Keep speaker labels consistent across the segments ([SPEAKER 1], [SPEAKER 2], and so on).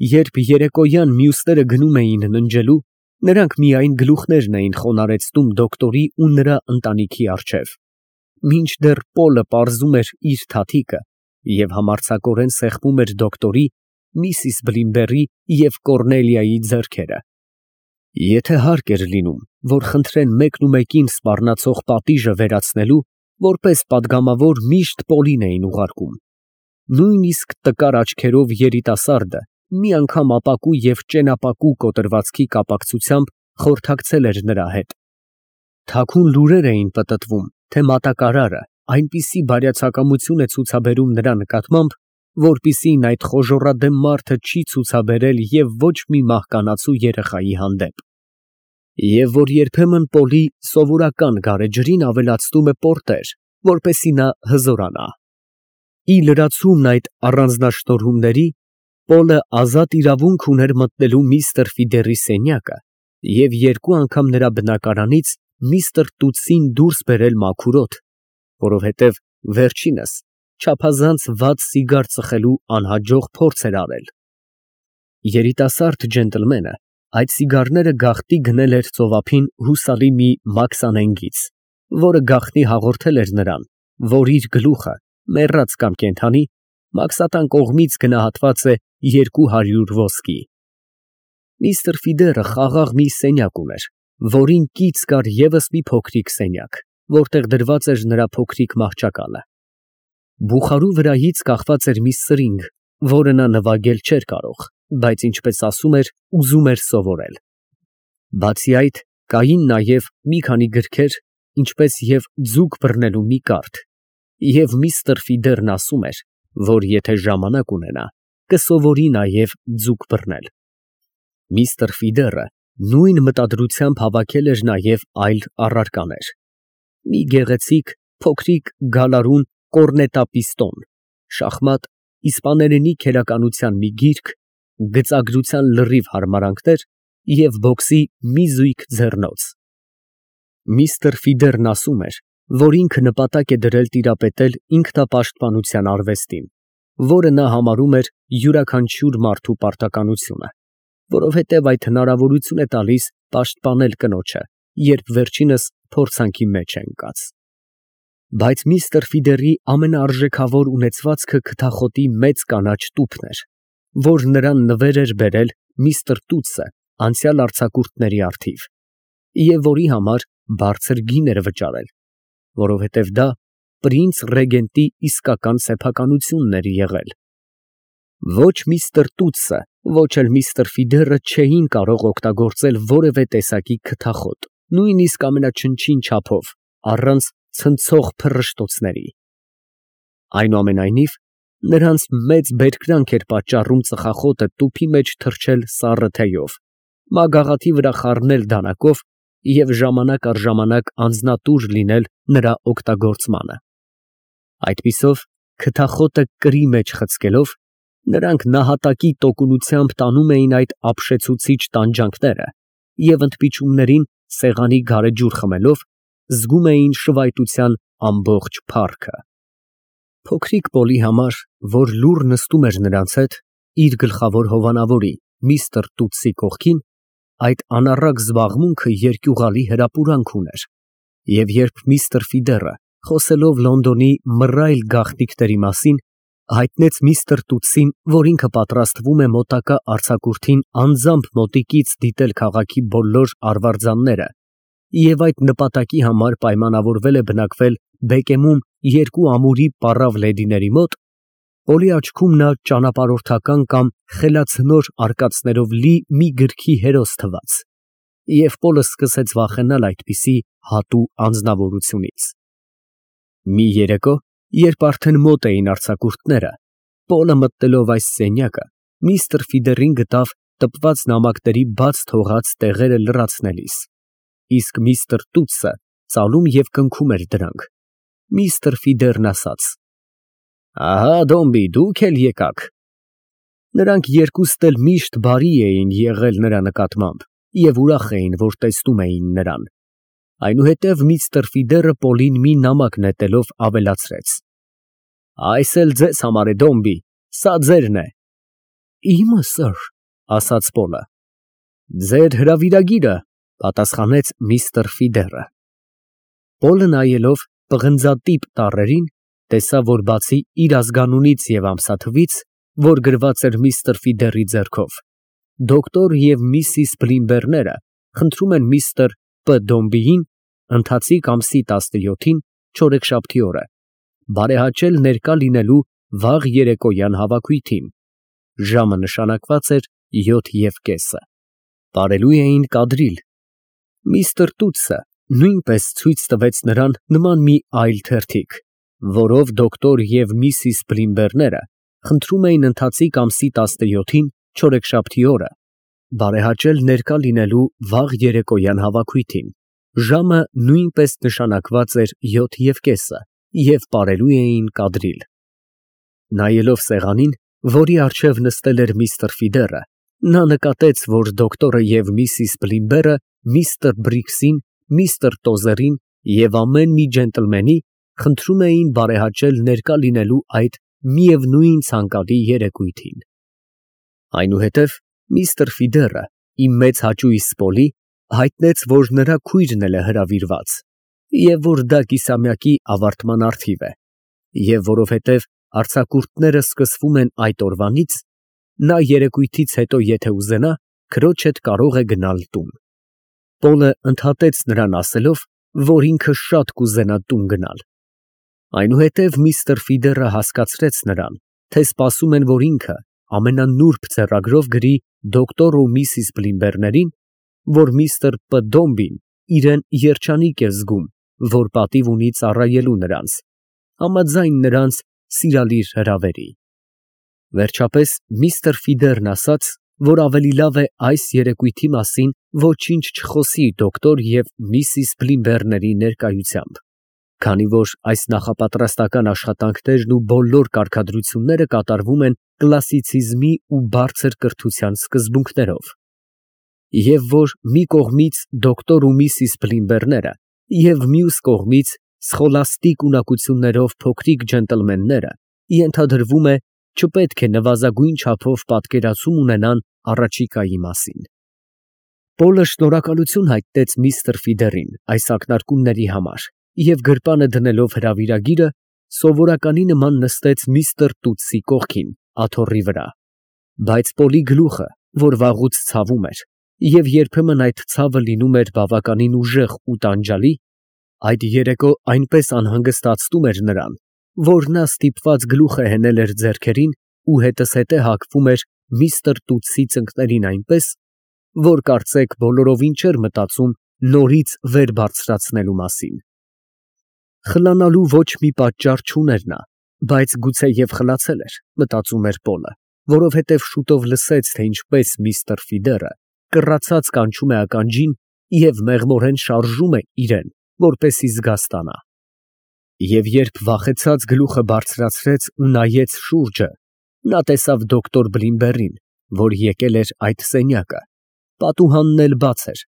[SPEAKER 1] Երբ երեկոյան մյուսները գնում էին ննջելու, նրանք միայն գլուխներն էին խոնարհեցնում դոկտորի ու նրա ընտանիքի առջև, մինչդեռ Պոլը պարզում էր իր թաթիկը և համարձակորեն սեղմում էր դոկտորի, միսիս Բլիմբերի և Կոռնելիայի ձեռքերը։ Եթե հարկ էր լինում, որ խնդրեն մեկնումեկին սպառնացող պատիժը վերացնելու, որպես պատգամավոր միշտ Պոլին էին ուղարկում։ Նույնիսկ տկար աչքերով երիտասարդը մի անգամ ապակու և ճենապակու կոտրվածքի կապակցությամբ խորհրդակցել էր նրա հետ։ Թաքուն լուրեր էին պտտվում, թե մատակարարը այնպիսի բարյացակամություն է ցուցաբերում նրա նկատմամբ, որպիսին այդ խոժոռադեմ մարդը չի ցուցաբերել և ոչ մի մահկանացու երեխայի հանդեպ, և որ երբեմն Պոլի սովորական գարեջրին ավելացնում է պորտեր, որպեսզի նա հզորանա։ Ի լրացումն այդ առանձնաշնորհումների, Պոլը ազատ իրավունք ուներ մտնելու միստր Ֆիդերի սենյակը և երկու անգամ նրա բնակարանից միստր Տուտսին դուրս բերել մաքուր օդ, որովհետև վերջինս չափազանց վատ սիգար ծխելու անհաջող փորձ էր արել։ Երիտասարդ ջենտլմենը այդ սիգարները գաղտնի գնել էր ծովափին հուսալի մի մաքսանենգից, որը գաղտնի հաղորդել էր նրան, որ իր գլուխը, մեռած կամ կենդանի, մաքսատան կողմից գնահատված է 200 ոսկի։ Միստր Ֆիդերը խաղաղ մի սենյակ ուներ, որին կից կար ևս մի փոքրիկ սենյակ, որտեղ դրված էր նրա փոքրիկ մահճակալը։ Բուխարու վրայից կախված էր մի սրինգ, որը նա նվագել չէր կարող, բայց ինչպես ասում էր, ուզում էր սովորել։ Բացի այդ, կային նաև մի քանի գրքեր, ինչպես և ձուկ բռնելու մի կարդ, և միստր Ֆիդերն ասում էր, որ եթե ժամանակ ունենա, կսովորի նաև ձուկ բռնել։ Միստր Ֆիդերը նույն մտադրությամբ հավաքել էր նաև այլ առարկաներ. մի գեղեցիկ, փոքրիկ գալարուն կորնետապիստոն, շախմատ, իսպաներենի քերականության մի գիրք, գծագրության լրիվ հարմարանքներ և բոքսի մի զույգ ձեռնոց։ Միստր Ֆիդերն ասում էր, որ ինքը նպատակ է դրել տիրապետել ինքնապաշտպանության արվեստին, որը նա համարում էր յուրաքանչյուր մարդու պարտականությունը, որովհետև այդ հնարավորություն է տալիս պաշտպանել կնոջը, երբ վերջինս փորձանքի մեջ է ընկած։ Բայց միստր Ֆիդերի ամենաարժեքավոր ունեցվածքը քթախոտի մեծ կանաչ տուփն էր, որ նրան նվեր էր բերել միստր Տուտսը անցյալ արձակուրդների առթիվ, և որի համար բարձր գին էր վճարել, որովհետև դա պրինց ռեգենտի իսկական սեփականությունն էր եղել։ Ոչ միստր Տուտսը, ոչ էլ միստր Ֆիդերը չէին կարող օգտագործել որևէ տեսակի քթախոտ, նույնիսկ ամենաչնչին չափով, առանց ցնցող փռշտոցների։ Այնուամենայնիվ, նրանց մեծ բերկրանք էր պատճառում ծխախոտը տուփի մեջ թռչել սառը թեյով, մագաղաթի վրա խառնել դանակով և ժամանակ առ ժամանակ անձնատուր լինել նրա օգտագործմանը։ Այդպիսով, քթախոտը կրի մեջ խցկելով, նրանք նահատակի տոկունությամբ տանում էին այդ ապշեցուցիչ տանջանքները և ընդմիջումներին սեղանի գարեջուր խմելով, զգում էին շվայտության ամբողջ փառքը։ Փոքրիկ Պոլի համար, որ լուռ նստում էր նրանց հետ, իր գլխավոր հովանավորի, միստր Տուտսի կողքին, այդ անառակ զբաղմունքը երկյուղալի հրապուրանք ուներ, և երբ միստր Ֆիդերը, խոսելով Լոնդոնի մռայլ գաղտնիքների մասին, հայտնեց միստր Տուտսին, որ ինքը պատրաստվում է մոտակա արձակուրդին անձամբ մոտիկից դիտել քաղաքի բոլոր արվարձանները և այդ նպատակի համար պայմանավորվել է բնակվել Բեկեմում երկու ամուրի պառավ լեդիների մոտ, Պոլի աչքում նա ճանապարհորդական կամ խելացնոր արկածներով լի մի գրքի հերոս թվաց, և Պոլը սկսեց վախենալ այդպիսի հատու անձնավորությունից։ Մի երեկո, երբ արդեն մոտ էին արձակուրդները, Պոլը մտնելով այս սենյակը, միստր Ֆիդերին գտավ տպված նամակների բաց թողած տեղերը լրացնելիս, իսկ միստր Տուտսը ծալում և կնքում էր դրանք։ Միստր Ֆիդերն ասաց. «Ահա, Դոմբի, դուք էլ եկաք»։ Նրանք երկուստ էլ միշտ բարի էին եղել նրա նկատմամբ և ուրախ էին, որ տեսնում էին նրան։ Այնուհետև միստր Ֆիդերը Պոլին մի նամակ նետելով ավելացրեց. «Այս էլ ձեզ համար է, Դոմբի, սա ձերն է»։ Իմը, սըր, ասաց Պոլը։ Ձեր հրավիրագիրը, պատասխանեց միստր Ֆիդերը։ Պոլը նայելով պղնձատիպ տառերին, տեսավ, որ բացի իր ազգանունից և ամսաթվից, որ գրված էր միստր Ֆիդերի ձեռքով, դոկտոր և միսիս Բլիմբերները խնդրում են միստր Պ. Դոմբիին ընթացիկ ամսի 17-ին չորեքշաբթի օրը բարեհաճել ներկա լինելու վաղ երեկոյան հավաքույթին, ժամը նշանակված էր 7:30։ Պարելու էին կադրիլ։ Միստր Տուտսը նույնպես ցույց տվեց նրան նման մի այլ թերթիկ, որով դոկտոր և միսիս Բլիմբերները խնդրում էին ընթացիկ ամսի 17-ին չորեքշաբթի օրը բարեհաճել ներկա լինելու վաղ երեկոյան հավաքույթին, ժամը նույնպես նշանակված էր 7:30 և պարելու էին կադրիլ։ Նայելով սեղանին, որի առջև նստել էր միստր Ֆիդերը, նա նկատեց, որ դոկտորը և միսիս Բլիմբերը միստր Բրիքսին, միստր Տոզերին և ամեն մի ջենտլմենի խնդրում էին բարեհաճել ներկա լինելու այդ միևնույն ցանկալի երեկույթին։ Այնուհետև միստր Ֆիդերը, իր մեծ հաճույս Պոլի, հայտնեց, որ նրա քույրն էլ է հրավիրված, և որ դա կիսամյակի ավարտման առթիվ է, և որովհետև արձակուրդները սկսվում են այդ օրվանից, նա երեկույթից հետո եթե ուզենա, քրոջ հետ կարող է գնալ տուն։ Պոլը ընդհատեց նրան ասելով, որ ինքը շատ կուզենա տուն գնալ։ Այնուհետև միստր Ֆիդերը հասկացրեց նրան, թե սպասում են, որ ինքը ամենանուրբ ձեռագրով գրի դոկտոր ու միսիս Բլիմբերներին, որ միստր Պ. Դոմբին իրեն երջանիկ է զգում, որ պատիվ ունի ծառայելու նրանց, համաձայն նրանց սիրալիր հրավերի։ Վերջապես միստր Ֆիդերն ասաց, որ ավելի լավ է այս երեկույթի մասին ոչինչ չխոսի դոկտոր և միսիս Բլիմբերների ներկայությամբ, քանի որ այս նախապատրաստական աշխատանքներն ու բոլոր կարգադրությունները կատարվում են կլասիցիզմի ու բարձր կրթության սկզբունքներով, և որ մի կողմից դոկտոր ու միսիս Բլիմբերները և մյուս կողմից սխոլաստիկ ունակություններով փոքրիկ ջենտլմենները ենթադրվում է չպետք է նվազագույն չափով պատկերացում ունենան առաջիկայի մասին։ Պոլը շնորհակալություն հայտնեց միստր Ֆիդերին այս ակնարկումների համար և գրպանը դնելով հրավիրագիրը, սովորականի նման նստեց միստր Տուտսի կողքին, աթոռի վրա, բայց Պոլի գլուխը, որ վաղուց ցավում էր, և երբեմն այդ ցավը լինում էր բավականին ուժեղ ու տանջալի, այդ երեկո այնպես անհանգստացնում էր նրան, որ նա ստիպված գլուխը հենել էր ձեռքերին ու հետզհետե հագվում էր միստր Տուտսի ծնկներին այնպես, որ կարծեք բոլորովին չէր մտածում նորից վեր բարձրացնելու մասին։ Խլանալու ոչ մի պատճառ չուներ նա, բայց գուցեև խլացել էր, մտածում էր Պոլը, որովհետև շուտով լսեց, թե ինչպես միստր Ֆիդերը կռացած կանչում է ականջին և մեղմորեն շարժում է իրեն, որպեսզի զգաստանա։ Եվ երբ վախեցած գլուխը բարձրացրեց ու նայեց շուրջը, նա տեսավ դոկտոր Բլիմբերին, որ եկել էր այդ սենյակը, պատուհանն էլ բաց էր,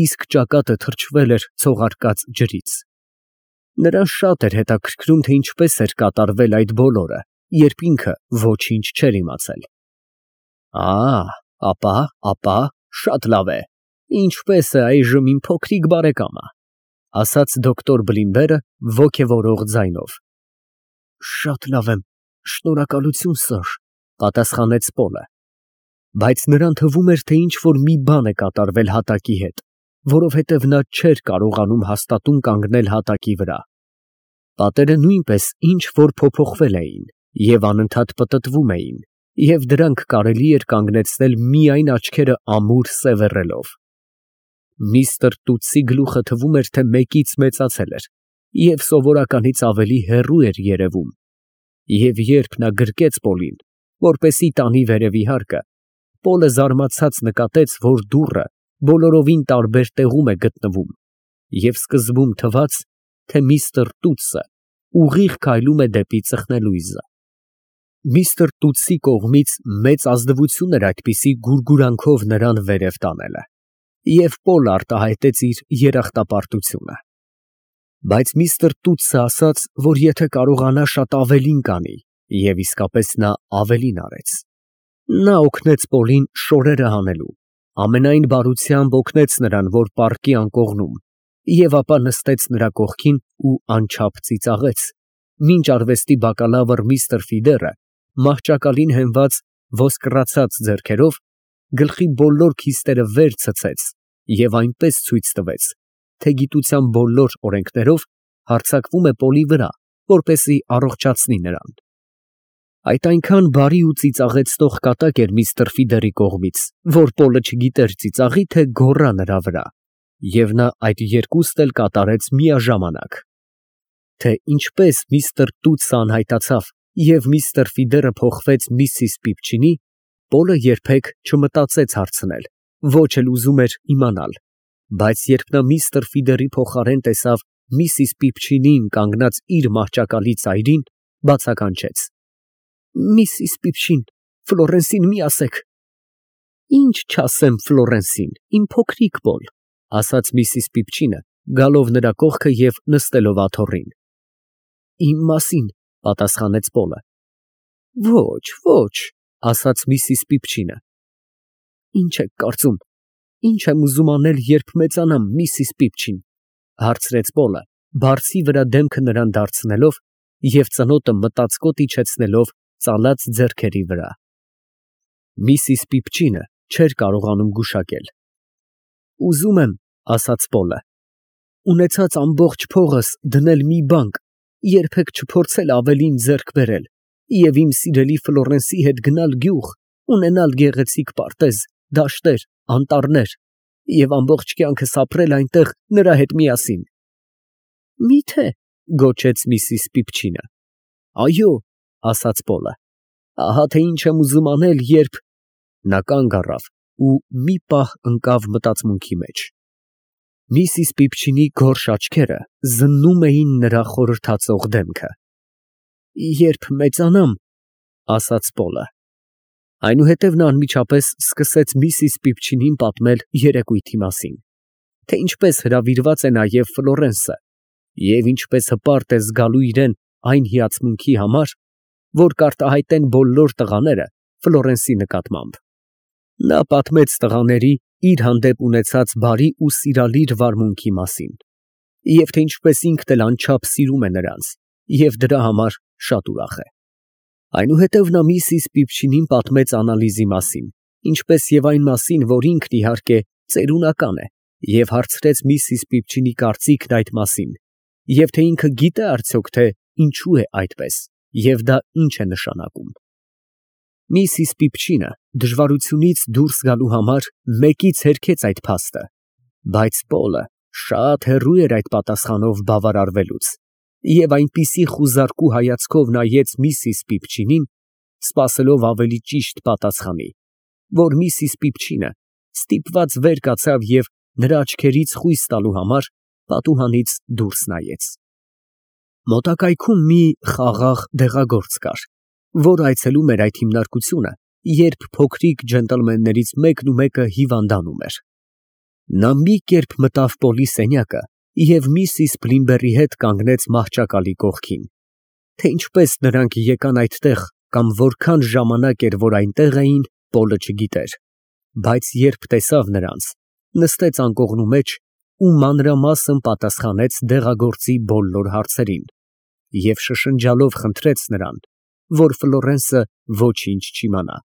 [SPEAKER 1] իսկ ճակատը թրջվել էր ցողարկած ջրից։ Նրան շատ էր հետաքրքրում, թե ինչպես էր կատարվել այդ բոլորը, երբ ինքը ոչինչ չէր իմացել։ Ապա, շատ լավ է, ինչպե՞ս է այժմ իմ փոքրիկ բարեկամը, ասաց դոկտոր Բլիմբերը ոգևորող ձայնով։ Շատ լավ եմ, շնորհակալություն, սըր, պատասխանեց Պոլը, բայց նրան թվում էր, թե ինչ֊որ մի բան է կատարվել հատակի հետ, որովհետև նա չէր կարողանում հաստատուն կանգնել հատակի վրա։ Պատերը նույնպես ինչ֊որ փոփոխվել էին և անընդհատ պտտվում էին, և դրանք կարելի էր կանգնեցնել միայն աչքերը ամուր սևեռելով։ Միստր Տուտսի գլուխը թվում էր, թե մեկից մեծացել էր և սովորականից ավելի հեռու էր երևում, և երբ նա գրկեց Պոլին, որպեսզի տանի վերևի հարկը, Պոլը զարմացած նկատեց, որ դուռը բոլորովին տարբեր տեղում է գտնվում, և սկզբում թվաց, թե միստր Տուտսը ուղիղ քայլում է դեպի ծխնելույզը։ Միստր Տուտսի կողմից մեծ ազնվություն էր այդպիսի գուրգուրանքով նրան վերև տանելը, և Պոլը արտահայտեց իր երախտապարտությունը։ Բայց միստր Տուտսը ասաց, որ եթե կարողանա շատ ավելին կանի, և իսկապես նա ավելին արեց։ Նա օգնեց Պոլին շորերը հանելու, ամենայն բարությամբ օգնեց նրան, որ պառկի անկողնում, և ապա նստեց նրա կողքին ու անչափ ծիծաղեց, մինչ արվեստի բակալավր միստր Ֆիդերը մահճակալին հենված ոսկռացած ձեռքերով գլխի բոլոր քիստերը վեր ցցեց և այնպես ցույց տվեց, թե գիտության բոլոր օրենքներով հարձակվում է Պոլի վրա, որպեսզի առողջացնի նրան։ Այդ այնքան բարի ու ծիծաղեցնող կատակ էր միստր Ֆիդերի կողմից, որ Պոլը չգիտեր ծիծաղի, թե գոռա նրա վրա, և նա այդ երկուստ էլ կատարեց միաժամանակ։ Թե ինչպես միստր Տուտսը անհայտացավ և միստր Ֆիդերը փոխվեց միսիս Պիպչինի, Պոլը երբեք չմտածեց հարցնել, ոչ էլ ուզում էր իմանալ, բայց երբ նա միստր Ֆիդերի փոխարեն տեսավ միսիս Պիպչինին կանգնած իր մահճակալի ծայրին, բացականչեց. Միսիս Պիպչին, Ֆլորենսին մի ասեք։ Ինչ չասեմ Ֆլորենսին, իմ փոքրիկ Պոլ, ասաց միսիս Պիպչինը, գալով նրա կողքը և նստելով աթոռին։ Իմ մասին, պատասխանեց Պոլը։ Ոչ, ոչ, ասաց միսիս Պիպչինը։ Ինչ եք կարծում, ինչ եմ ուզում անել, երբ մեծանամ, միսիս Պիպչին, հարցրեց Պոլը, բարձի վրա դեմքը նրան դարձնելով և ծնոտը մտածկոտ իջեցնելով ծալած ձեռքերի վրա։ Միսիս Պիպչինը չէր կարողանում գուշակել։ Ուզում եմ, ասաց Պոլը, ունեցած ամբողջ փողս դնել մի բանկ, երբեք չփորձել ավելին ձեռք բերել և իմ սիրելի Ֆլորենսի հետ գնալ գյուղ, ունենալ գեղեցիկ պարտեզ, դաշտեր, անտառներ և ամբողջ կյանքս ապրել այնտեղ նրա հետ միասին։ Մի՞թե, գոչեց միսիս Պիպչինը։ Այո, ասաց Պոլը, ահա թե ինչ եմ ուզում անել, երբ… Նա կանգ առավ ու մի պահ ընկավ մտածմունքի մեջ։ Միսիս Պիպչինի գորշ աչքերը զննում էին նրա խորհրդածող դեմքը։ Երբ մեծանամ, ասաց Պոլը։ Այնուհետև նա անմիջապես սկսեց միսիս Պիպչինին պատմել երեկույթի մասին, թե ինչպես հրավիրված է նաև Ֆլորենսը և ինչպես հպարտ է զգալու իրեն այն հիացմունքի համար, որ կարտահայտեն բոլոր տղաները Ֆլորենսի նկատմամբ։ Նա պատմեց տղաների իր հանդեպ ունեցած բարի ու սիրալիր վարմունքի մասին, և թե ինչպես ինքն էլ անչափ սիրում է նրանց և դրա համար շատ ուրախ է։ Այնուհետև նա միսիս Պիպչինին պատմեց անալիզի մասին, ինչպես և այն մասին, որ ինքն իհարկե ծերունական է, և հարցրեց միսիս Պիպչինի կարծիքն այդ մասին, և թե ինքը գիտե արդյոք, թե ինչու է այդպես, և դա ինչ է նշանակում։ Միսիս Պիպչինը դժվարությունից դուրս գալու համար մեկից հերքեց այդ փաստը, բայց Պոլը շատ հեռու էր այդ պատասխանով բավարարվելուց և այնպիսի խուզարկու հայացքով նայեց միսիս Պիպչինին, սպասելով ավելի ճիշտ պատասխանի, որ միսիս Պիպչինը ստիպված վեր կացավ և նրա աչքերից խույս տալու համար պատուհանից դուրս նայեց։ Մոտակայքում մի խաղաղ դեղագործ կար, որ այցելում էր այդ հիմնարկությունը, երբ փոքրիկ ջենտլմեններից մեկն ու մեկը հիվանդանում էր։ Նա մի կերպ մտավ Պոլի սենյակը և միսիս Փլիմբերի հետ կանգնեց մահճակալի կողքին։ Թե ինչպես նրանք եկան այդտեղ կամ որքան ժամանակ էր, որ այնտեղ էին, Պոլը չգիտեր, բայց երբ տեսավ նրանց, նստեց անկողնու մեջ ու մանրամասն պատասխանեց դեղագործի բոլոր հարցերին և շշնջալով խնդրեց նրան, որ Ֆլորենսը ոչինչ չիմանա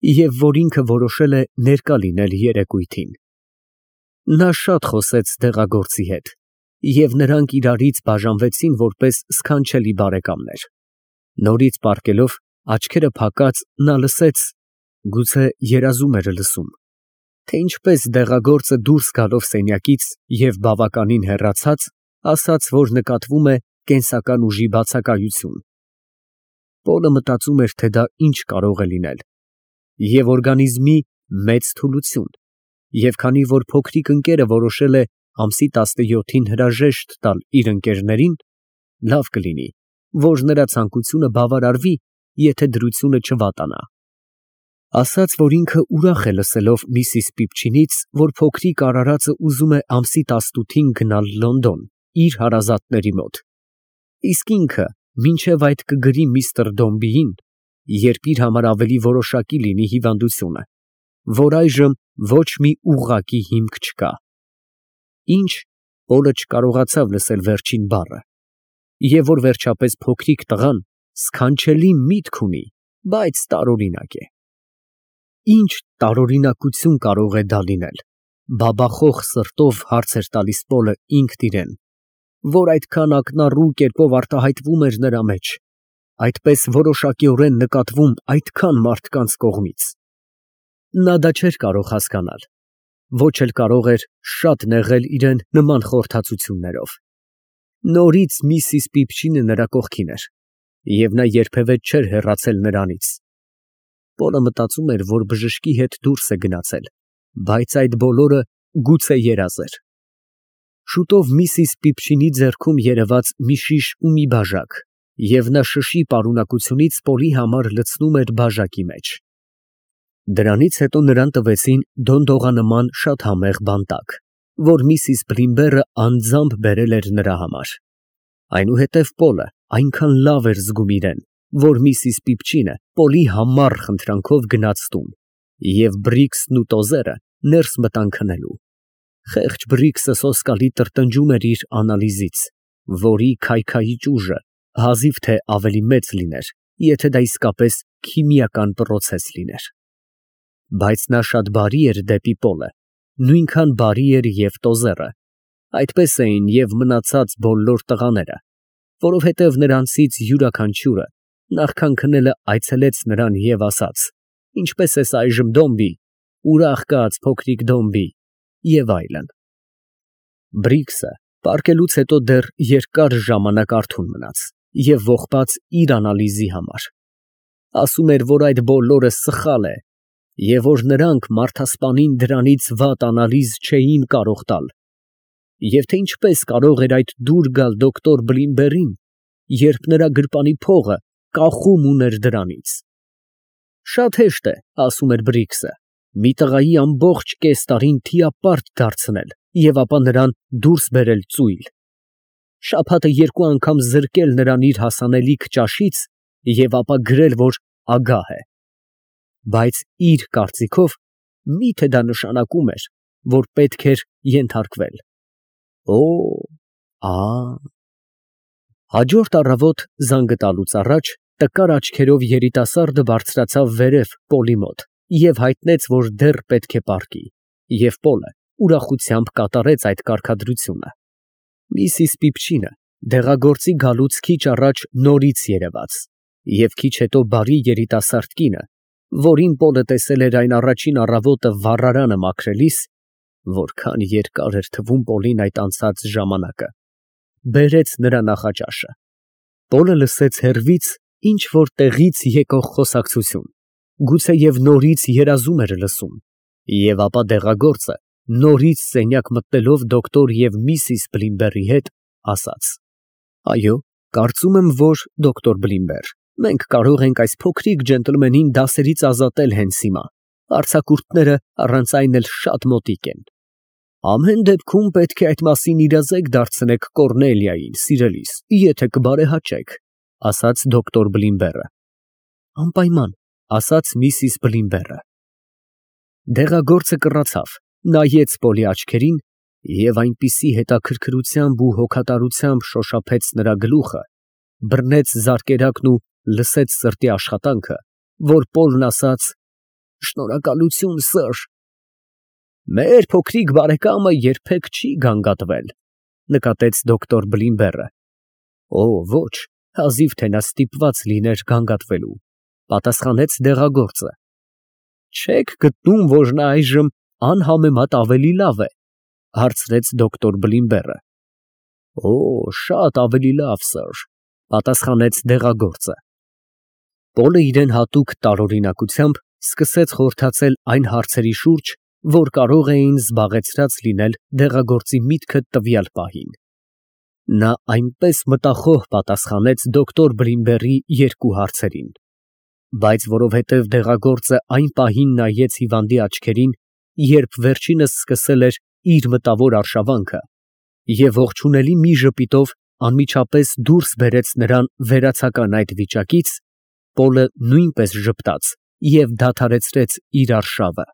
[SPEAKER 1] և որ ինքը որոշել է ներկա լինել երեկույթին։ Նա շատ խոսեց դեղագործի հետ, և նրանք իրարից բաժանվեցին որպես սքանչելի բարեկամներ։ Նորից պառկելով, աչքերը փակած, նա լսեց, գուցե երազում էր լսում, թե ինչպես դեղագործը դուրս գալով սենյակից և բավականին հեռացած, ասաց, որ նկատվում է կենսական ուժի բացակայություն։ Պոլը մտածում էր, թե դա ինչ կարող է լինել, և օրգանիզմի մեծ թուլություն, և քանի որ փոքրիկ ընկերը որոշել է ամսի 17-ին հրաժեշտ տալ իր ընկերներին, լավ կլինի, որ նրա ցանկությունը բավարարվի, եթե դրությունը չվատանա։ Ասաց, որ ինքը ուրախ է լսելով միսիս Պիպչինից, որ փոքրիկ արարածը ուզում է ամսի 18-ին գնալ Լոնդոն իր հարազատների մոտ, իսկ ինքը մինչև այդ կգրի միստր Դոմբիին երբ իր համար ավելի որոշակի լինի հիվանդությունը, որ այժմ ոչ մի ուղղակի հիմք չկա։ Ինչ, Պոլը չկարողացավ լսել վերջին բառը, և որ վերջապես փոքրիկ տղան սքանչելի միտք ունի, բայց տարօրինակ է։ Ինչ տարօրինակություն կարող է դա լինել, բաբախող սրտով հարց էր տալիս Պոլը ինքն իրեն, որ այդքան ակնառու կերպով արտահայտվում էր նրա մեջ, այդպես որոշակիորեն նկատվում այդքան մարդկանց կողմից։ Նա դա չէր կարող հասկանալ, ոչ էլ կարող էր շատ նեղել իրեն նման խորհրդածություններով։ Նորից միսիս Պիպչինը նրա կողքին էր, և նա երբևէ չէր հեռացել նրանից։ Պոլը մտածում էր, որ բժշկի հետ դուրս է գնացել, բայց այդ բոլորը գուցե երազ էր։ Շուտով միսիս Պիպչինի ձեռքում երևաց մի շիշ ու մի բաժակ, և նա շշի պարունակությունից Պոլի համար լցնում էր բաժակի մեջ։ Դրանից հետո նրան տվեցին դոնդողանման շատ համեղ բանտակ, որ միսիս Բլիմբերը անձամբ բերել էր նրա համար։ Այնուհետև Պոլը այնքան լավ էր զգում իրեն, որ միսիս Պիպչինը Պոլի համառ խնդրանքով գնաց տուն, և Բրիքսն ու տոզերը ներս մտան քնելու։ Խեղճ Բրիքսը սոսկալի տրտնջում էր իր անալիզից, որի քայքայիչ ուժը հազիվ թե ավելի մեծ լիներ, եթե դա իսկապես քիմիական պրոցես լիներ։ Բայց նա շատ բարի էր դեպի Պոլը, նույնքան բարի էր և տոզերը, այդպես էին և մնացած բոլոր տղաները, որովհետև նրանցից յուրաքանչյուրը նախքան քնելը այցելեց նրան և ասաց. «Ինչպե՞ս ես այժմ, Դոմբի, ուրախ կաց, փոքրիկ Դոմբի» և այլն։ Բրիքսը պառկելուց հետո դեռ երկար ժամանակ արթուն մնաց և ողբաց իր անալիզի համար։ Ասում էր, որ այդ բոլորը սխալ է, և որ նրանք մարդասպանին դրանից վատ անալիզ չէին կարող տալ, և թե ինչպես կարող էր այդ դուր գալ դոկտոր Բլիմբերին, երբ նրա գրպանի փողը կախում ուներ դրանից։ Շատ հեշտ է, ասում էր Բրիքսը, մի տղայի ամբողջ կես տարին թիապարտ դարձնել և ապա նրան դուրս բերել ծույլ, շաբաթը երկու անգամ զրկել նրան իր հասանելիք ճաշից և ապա գրել, որ ագահ է։ Բայց իր կարծիքով միթե դա նշանակում էր, որ պետք էր ենթարկվել։ Օ, Հաջորդ առավոտ զանգը տալուց առաջ տկար աչքերով երիտասարդը բարձրացավ վերև Պոլի մոտ և հայտնեց, որ դեռ պետք է պառկի, և Պոլը ուրախությամբ կատարեց այդ կարգադրությունը։ Միսիս Պիպչինը դեղագործի գալուց քիչ առաջ նորից երևաց, և քիչ հետո բարի երիտասարդ կինը, որին Պոլը տեսել էր այն առաջին առավոտը վառարանը մաքրելիս, որքան երկար էր թվում Պոլին այդ անցած ժամանակը, բերեց նրա նախաճաշը։ Պոլը լսեց հեռվից ինչ֊որ տեղից եկող խոսակցություն, գուցեև նորից երազում էր լսում, և ապա դեղագործը, նորից սենյակ մտնելով դոկտոր և միսիս Բլիմբերի հետ, ասաց. «Այո, կարծում եմ, որ դոկտոր Բլիմբեր, մենք կարող ենք այս փոքրիկ ջենտլմենին դասերից ազատել հենց հիմա, արձակուրդները առանց այն էլ շատ մոտիկ են։ Ամեն դեպքում պետք է այդ մասին իրազեկ դարձնեք Կոռնելիային, սիրելիս, եթե կբարեհաճեք», ասաց դոկտոր Բլիմբերը։ «Անպայման», ասաց միսիս Բլիմբերը։ Դեղագործը կռացավ, նայեց Պոլի աչքերին և այնպիսի հետաքրքրությամբ ու հոգատարությամբ շոշափեց նրա գլուխը, բռնեց զարկերակն ու լսեց սրտի աշխատանքը, որ Պոլն ասաց. «Շնորհակալություն, սըր»։ «Մեր փոքրիկ բարեկամը երբեք չի գանգատվել», նկատեց դոկտոր Բլիմբերը։ «Օ, ոչ, հազիվ թե նա ստիպված լիներ գանգատվելու», պատասխանեց դեղագործը։ «Չե՞ք գտնում, որ նա այժմ անհամեմատ ավելի լավ է», հարցրեց դոկտոր Բլիմբերը։ «Օ, շատ ավելի լավ, սըր», պատասխանեց դեղագործը։ Պոլը իրեն հատուկ տարօրինակությամբ սկսեց խորհրդացել այն հարցերի շուրջ, որ կարող էին զբաղեցրած լինել դեղագործի միտքը տվյալ պահին։ Նա այնպես մտախոհ պատասխանեց դոկտոր Բլիմբերի երկու հարցերին, բայց որովհետև դեղագործը այն պահին նայեց հիվանդի աչքերին, երբ վերջինս սկսել էր իր մտավոր արշավանքը, և ողջունելի մի ժպիտով անմիջապես դուրս բերեց նրան վերացական այդ վիճակից, Պոլը նույնպես ժպտաց և դադարեցրեց իր արշավը։